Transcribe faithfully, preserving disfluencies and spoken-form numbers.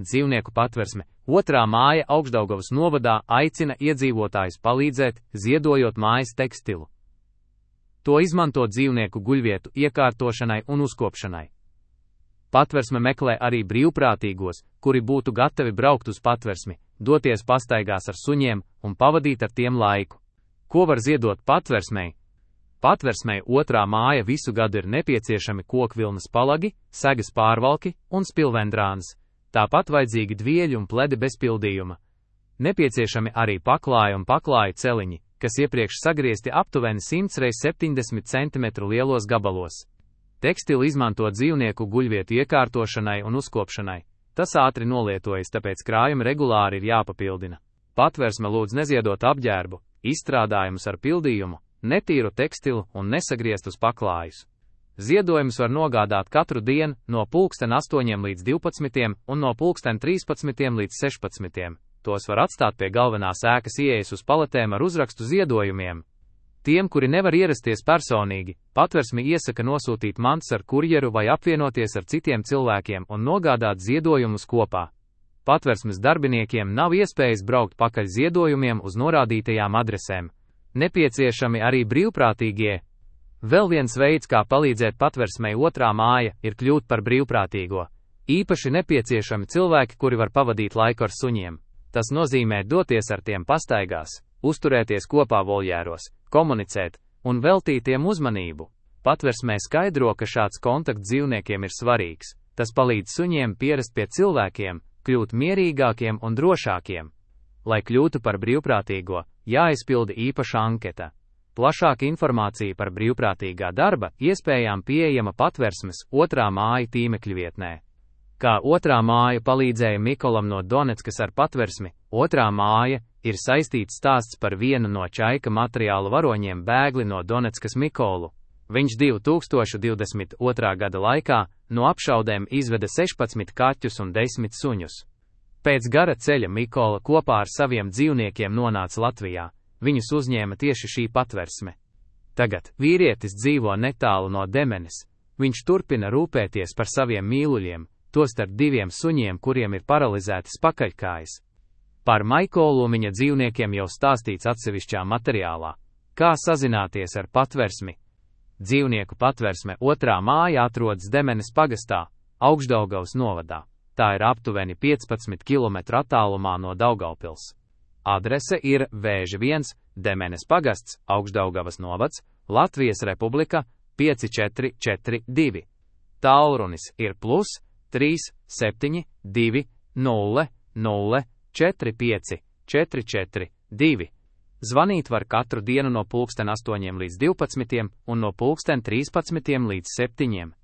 dzīvnieku patversme. Otrā māja Augšdaugavas novadā aicina iedzīvotājus palīdzēt, ziedojot mājas tekstilu. To izmanto dzīvnieku guļvietu iekārtošanai un uzkopšanai. Patversme meklē arī brīvprātīgos, kuri būtu gatavi braukt uz patversmi, doties pastaigās ar suņiem un pavadīt ar tiem laiku. Ko var ziedot patversmei? Patversmei otrā māja visu gadu ir nepieciešami kokvilnas palagi, segas pārvalki un spilvendrāns, tāpat vajadzīgi dvieļi un pledi bez pildījuma. Nepieciešami arī paklāja un paklāja celiņi, kas iepriekš sagriezti aptuveni simts reiz septiņdesmit centimetru lielos gabalos. Tekstilu izmanto dzīvnieku guļvietu iekārtošanai un uzkopšanai. Tas ātri nolietojas, tāpēc krājumi regulāri ir jāpapildina. Patversme lūdz neziedot apģērbu, izstrādājumus ar pildījumu, netīru tekstilu un nesagrieztus paklājus. Ziedojumus var nogādāt katru dienu no pulksten astoņiem līdz divpadsmitiem un no pulksten trīspadsmitiem līdz sešpadsmitiem. Tos var atstāt pie galvenās ēkas ieejas uz paletēm ar uzrakstu ziedojumiem. Tiem, kuri nevar ierasties personīgi, patversmi iesaka nosūtīt mantas ar kurjeru vai apvienoties ar citiem cilvēkiem un nogādāt ziedojumus kopā. Patversmes darbiniekiem nav iespējas braukt pakaļ ziedojumiem uz norādītajām adresēm. Nepieciešami arī brīvprātīgie. Vēl viens veids, kā palīdzēt patversmei otrā māja, ir kļūt par brīvprātīgo. Īpaši nepieciešami cilvēki, kuri var pavadīt laiku ar suņiem. Tas nozīmē doties ar tiem pastaigās, uzturēties kopā voljēros, komunicēt un veltīt tiem uzmanību. Patversmē skaidro, ka šāds kontakts dzīvniekiem ir svarīgs. Tas palīdz suņiem pierast pie cilvēkiem, kļūt mierīgākiem un drošākiem. Lai kļūtu par brīvprātīgo, jāizpilda īpaša anketa. Plašāka informācija par brīvprātīgā darba iespējām pieejama patversmes otrā māja tīmekļa vietnē. Kā otrā māja palīdzēja Mikolam no Doneckas ar patversmi, otrā māja ir saistīts stāsts par vienu no čaika materiālu varoņiem bēgli no Doneckas Mikolu. Viņš divi tūkstoši divdesmit otrā gada laikā no apšaudēm izveda sešpadsmit kaķus un desmit suņus. Pēc gara ceļa Mikola kopā ar saviem dzīvniekiem nonāca Latvijā. Viņus uzņēma tieši šī patversme. Tagad vīrietis dzīvo netālu no Demenes. Viņš turpina rūpēties par saviem mīluļiem, tostarp diviem suņiem, kuriem ir paralizētas pakaļkājas. Par Maikolu viņa dzīvniekiem jau stāstīts atsevišķā materiālā. Kā sazināties ar patversmi? Dzīvnieku patversme otrā māja atrodas Demenes pagastā, Augšdaugavas novadā. Tā ir aptuveni piecpadsmit kilometru attālumā no Daugavpils. Adrese ir Vēži viens, Demenes pagasts, Augšdaugavas novads, Latvijas Republika, pieci četri četri divi. Tālrunis ir plus trīs septiņi divi nulle nulle četri pieci četri četri divi. Zvanīt var katru dienu no pulksten astoņiem līdz divpadsmitiem un no pulksten trīspadsmitiem līdz septiņiem.